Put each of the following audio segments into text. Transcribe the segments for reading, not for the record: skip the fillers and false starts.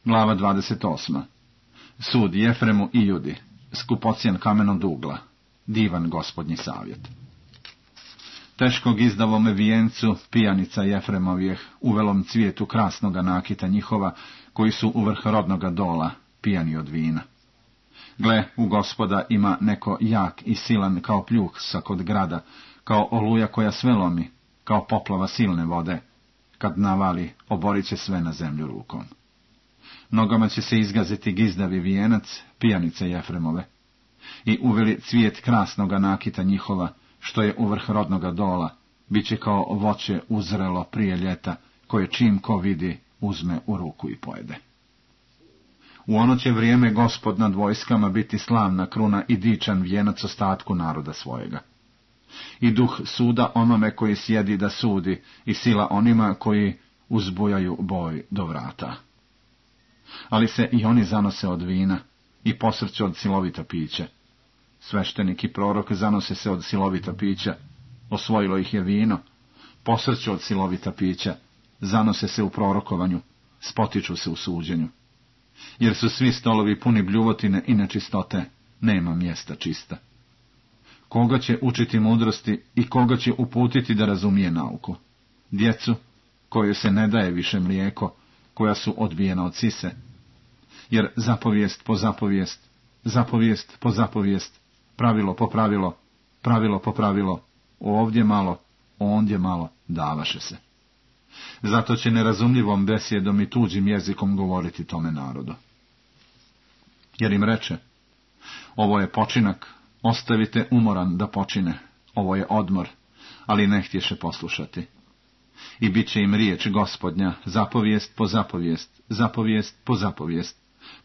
Glava 28. Sud Jefremu i Judi, skupocjen kamenog ugla, divan gospodnji savjet. Teškog izdavome vijencu pijanica Jefremovijeh, uvelom cvijetu krasnoga nakita njihova, koji su u vrh rodnoga dola, pijani od vina. Gle, u Gospoda ima neko jak i silan kao pljuh kod grada, kao oluja koja sve lomi, kao poplava silne vode. Kad navali, oborit će sve na zemlju rukom. Nogama će se izgaziti gizdavi vijenac, pijanice Jefremove. I uveli cvijet krasnoga nakita njihova, što je u vrh rodnoga dola, bit će kao voće uzrelo prije ljeta, koje čim ko vidi, uzme u ruku i pojede. U ono će vrijeme Gospod nad vojskama biti slavna kruna i dičan vijenac ostatku naroda svojega. I duh suda onome koji sjedi da sudi, i sila onima koji uzbujaju boj do vrata. Ali se i oni zanose od vina, i posrću od silovita pića. Sveštenik i prorok zanose se od silovita pića, osvojilo ih je vino, posrću od silovita pića, zanose se u prorokovanju, spotiču se u suđenju. Jer su svi stolovi puni bljuvotine i nečistote, nema mjesta čista. Koga će učiti mudrosti i koga će uputiti da razumije nauku? Djecu, kojoj se ne daje više mlijeko, koja su odbijena od sise. Jer zapovijest po zapovijest, zapovijest po zapovijest, pravilo po pravilo, pravilo po pravilo, ovdje malo, ondje malo, davaše se. Zato će nerazumljivom besjedom i tuđim jezikom govoriti tome narodu. Jer im reče, ovo je počinak, ostavite umoran da počine, ovo je odmor, ali ne htješe poslušati. I bit će im riječ Gospodnja, zapovijest po zapovijest, zapovijest po zapovijest,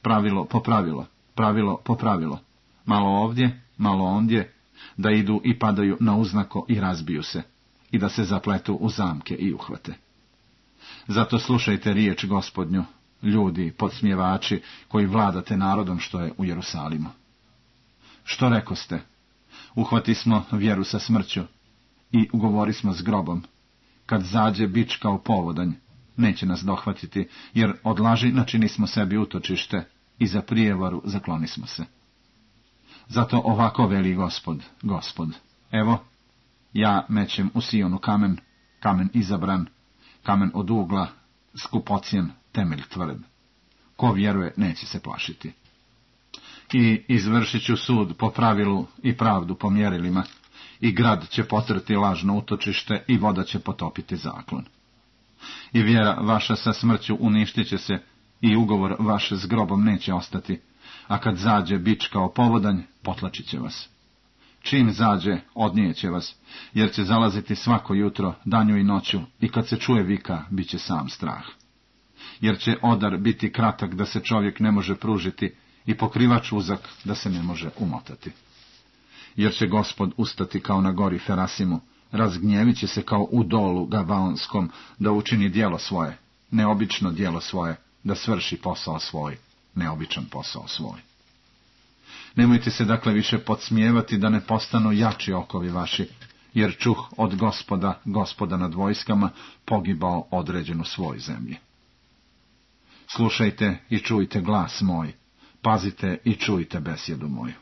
pravilo po pravilo, pravilo po pravilo, malo ovdje, malo ondje, da idu i padaju na uznako i razbiju se, i da se zapletu u zamke i uhvate. Zato slušajte riječ Gospodnju, ljudi, podsmjevači, koji vladate narodom što je u Jerusalimu. Što rekoste? Uhvati smo vjeru sa smrću i ugovori smo s grobom. Kad zađe bič kao povodanj, neće nas dohvatiti, jer od laži načini smo sebi utočište i za prijevaru zakloni smo se. Zato ovako veli Gospod, Gospod, evo, ja mećem u Sionu kamen, kamen izabran, kamen od ugla, skupocjen, temelj tvrd. Ko vjeruje, neće se plašiti. I izvršit ću sud po pravilu i pravdu po mjerilima, i grad će potrti lažno utočište i voda će potopiti zaklon. I vjera vaša sa smrću uništit će se, i ugovor vaš s grobom neće ostati, a kad zađe bič kao povodanj, potlačit će vas. Čim zađe, odnijeće vas, jer će zalaziti svako jutro, danju i noću, i kad se čuje vika, bit će sam strah. Jer će odar biti kratak da se čovjek ne može pružiti, i pokrivač uzak da se ne može umotati. Jer će Gospod ustati kao na gori Ferasimu, razgnjevit će se kao u dolu Gavaonskom, da učini djelo svoje, neobično djelo svoje, da svrši posao svoj, neobičan posao svoj. Nemojte se dakle više podsmijevati da ne postanu jači okovi vaši, jer čuh od Gospoda, Gospoda nad vojskama, pogibao određen u svoj zemlji. Slušajte i čujte glas moj, pazite i čujte besjedu moju.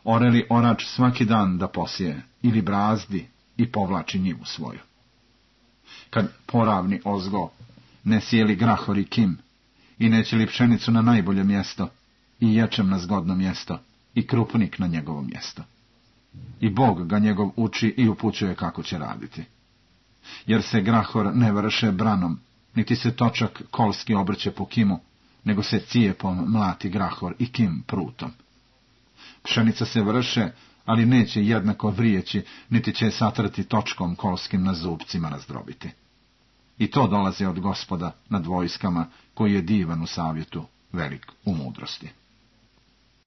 Ore li orač svaki dan da posije, ili brazdi i povlači njivu svoju? Kad poravni ozgo, ne sjeli grahor i kim, i neće li pšenicu na najbolje mjesto, i ječem na zgodno mjesto, i krupnik na njegovo mjesto. I Bog ga njegov uči i upućuje kako će raditi. Jer se grahor ne vrše branom, niti se točak kolski obrće po kimu, nego se cijepom mlati grahor i kim prutom. Pšenica se vrše, ali neće jednako vrijeći, niti će satrati točkom kolskim na zubcima razdrobiti. I to dolazi od Gospoda nad vojskama, koji je divan u savjetu, velik u mudrosti.